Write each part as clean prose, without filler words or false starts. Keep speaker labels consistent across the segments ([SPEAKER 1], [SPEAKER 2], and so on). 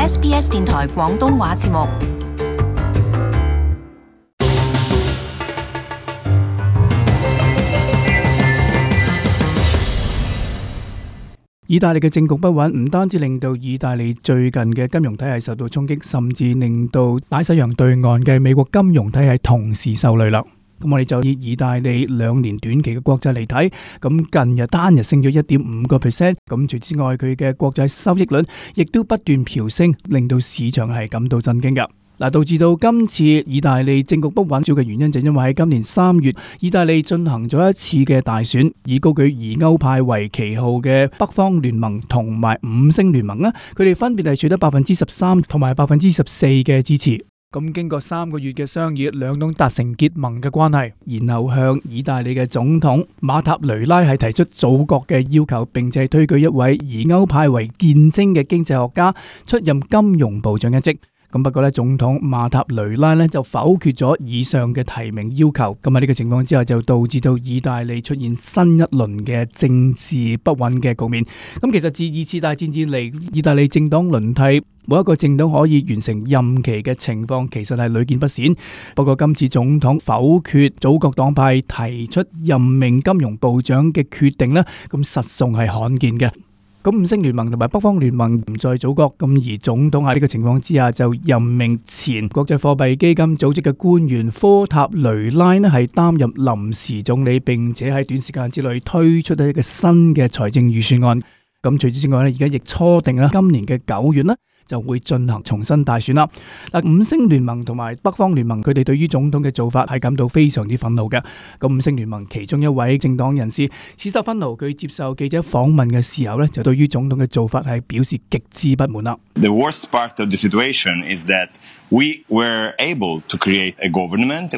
[SPEAKER 1] SBS 電台廣東話節目。
[SPEAKER 2] 意大利嘅政局不穩，唔單止令到意大利最近嘅金融體系受到衝擊，甚至令到大西洋對岸嘅美國金融體系同時受累啦。咁我哋就以意大利2年短期嘅國債嚟睇，咁近日單日升咗 1.5%， 咁除此之外佢嘅國債收益率亦都不斷飆升，令到市場係感到震驚㗎。導致到今次意大利政局不穩主要嘅原因就因為喺今年3月，意大利進行咗一次嘅大選，以高舉疑歐派為旗號嘅北方聯盟同埋五星聯盟，佢哋分別係取得 13% 同埋 14% 嘅支持。咁經過3個月嘅商議，兩黨達成結盟嘅關係，然後向意大利嘅總統馬塔雷拉係提出組閣嘅要求，並且推舉一位疑歐派為見稱嘅經濟學家出任金融部長一職。咁不過咧，總統馬塔雷拉咧就否決咗以上嘅提名要求。咁喺呢個情況之下，就導致到意大利出現新一輪嘅政治不穩嘅局面。咁其實自2次大戰以嚟，意大利政黨輪替，冇一個政黨可以完成任期嘅情況，其實係屢見不鮮。不過今次總統否決組閣黨派提出任命金融部長嘅決定呢，咁實屬係罕見嘅。咁五星聯盟同埋北方聯盟唔再組閣，咁而總統喺呢個情況之下就任命前國際貨幣基金組織嘅官員科塔雷拉呢係擔任臨時總理，並且喺短時間之內推出一個新嘅財政預算案。咁除此之外呢，而家亦初定啦，今年嘅9月呢就會進行重新大選啦。五星聯盟同埋北方聯盟佢哋對於總統嘅做法係感到非常之憤怒嘅。咁五星聯盟其中一位政黨人士史特芬奴佢接受記者訪問嘅時候呢，就對於總統嘅做法係表示極之不滿啦。
[SPEAKER 3] The worst part of the situation is that we were able to create a government.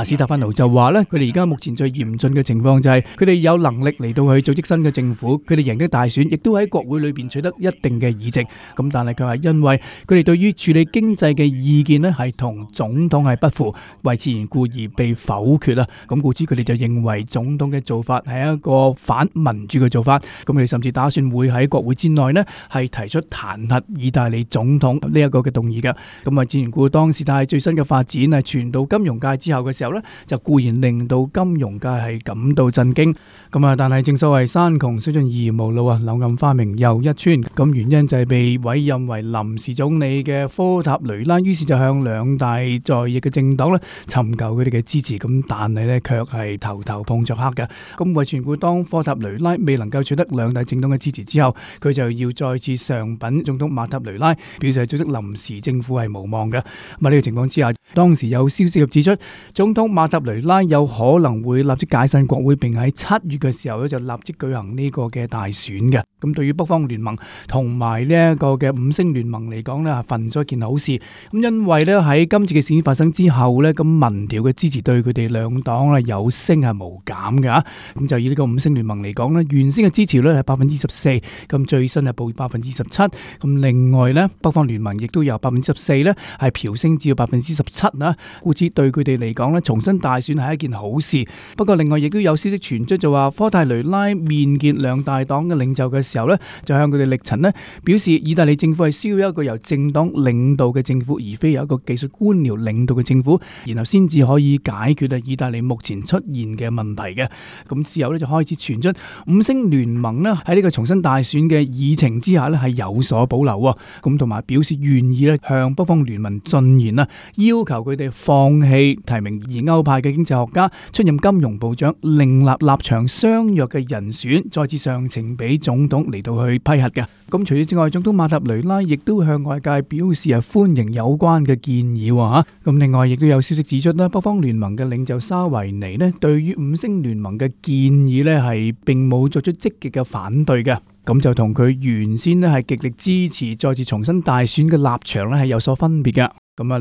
[SPEAKER 2] 史特芬奴就話呢，佢哋而家目前最嚴峻嘅情況就係佢哋有能力嚟到去組織新嘅政府，佢哋贏得大選，亦都喺國會裏邊取得一定嘅議席。咁但係佢係因為佢哋對於處理經濟嘅意見呢係同總統係不符，為此緣故而被否決啦。咁故此佢哋就認為總統嘅做法係一個反民主嘅做法。咁佢哋甚至打算會喺國會之內呢係提出彈劾意大利總統呢一個嘅動議嘅。咁為此緣故，當事態最新嘅發展係傳到金融界之後嘅時候呢，就固然令到金融界係感到震驚。但係正所謂山窮水盡而無路啊，柳暗花明又一村。咁原因就係被委任為臨時總理嘅科塔雷拉，於是就向兩大在役嘅政黨咧尋求佢哋嘅支持。咁但係咧卻係頭頭碰着黑嘅。咁為全股當科塔雷拉未能夠取得兩大政黨嘅支持之後，佢就要再次上稟總統馬塔雷拉，表示組織臨時政府係無望嘅。呢個情況之下，當時有消息指出，總統馬塔雷拉有可能會立即解散國會，並喺7月嘅時候咧就立即舉行呢個嘅大選嘅。咁對於北方聯盟同埋呢一個嘅五星聯盟嚟講呢，係份咗一件好事。咁因為呢喺今次嘅事件發生之後呢，咁民調嘅支持對佢哋兩黨呢有升係無減嘅。咁就以呢個五星聯盟嚟講呢，原先嘅支持率係14%，咁最新係報17%。咁另外呢，北方聯盟亦都由14%呢係飆升至到17%啦。故此對佢哋嚟講呢，重新大選係一件好事。不過另外亦都有消息傳出，就話科塔雷拉面見兩大黨嘅領袖嘅時候呢，就向佢哋力陳呢表示，意大利政府係需要一個由政黨領導嘅政府，而非由一個技術官僚領導嘅政府，然後先至可以解決意大利目前出現嘅問題嘅。咁之後呢，就開始傳出五星聯盟呢喺呢個重新大選嘅議程之下呢係有所保留喎。咁同埋表示願意呢向北方聯盟進言啦，要求佢哋放棄提名疑歐派嘅經濟學家出任金融部長，另立立場相若嘅人選，再次上呈俾總統嚟到去批核嘅。咁除此之外，總統馬塔雷拉亦都向外界表示歡迎有關嘅建議喎。咁另外亦都有消息指出咧，北方聯盟嘅領袖沙維尼咧，對於五星聯盟嘅建議咧係並冇作出積極嘅反對嘅。咁就同佢原先咧係極力支持再次重新大選嘅立場咧係有所分別嘅。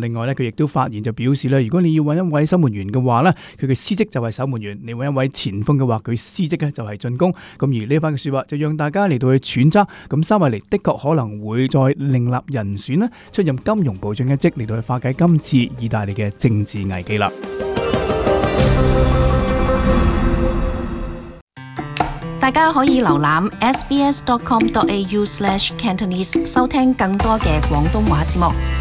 [SPEAKER 2] 另外咧，佢亦都發言就表示咧，如果你要揾一位守門員嘅話咧，佢嘅司職就係守門員；你揾一位前鋒嘅話，佢司職咧就係進攻。而呢番嘅說話就讓大家嚟到去揣測，咁沙維尼的確可能會再另立人選咧，出任金融部長一職嚟到去化解今次意大利嘅政治危機啦。
[SPEAKER 1] 大家可以瀏覽 sbs.com.au/Cantonese 收聽更多嘅廣東話節目。